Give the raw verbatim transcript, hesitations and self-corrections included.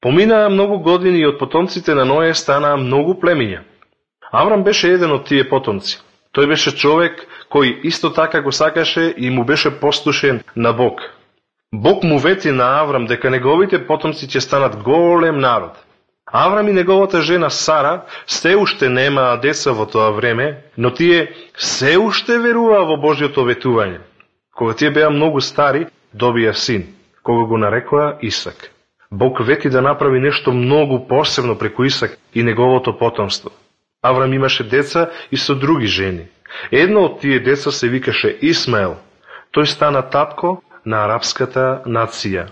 Поминаа многу години и од потомците на Ное станаа многу племиња. Аврам беше еден од тие потомци. Тој беше човек кој исто така го сакаше и му беше послушен на Бог. Бог му вети на Аврам дека неговите потомци ќе станат голем народ. Аврам и неговата жена Сара се уште немаа деца во тоа време, но тие се уште веруваа во Божјото ветување. Кога тие беа многу стари, добија син, кога го нарекоа Исак. Бог вети да направи нешто многу посебно преку Исак и неговото потомство. Аврам имаше деца и со други жени. Едно од тие деца се викаше Исмаел. Тој стана татко на арапската нација.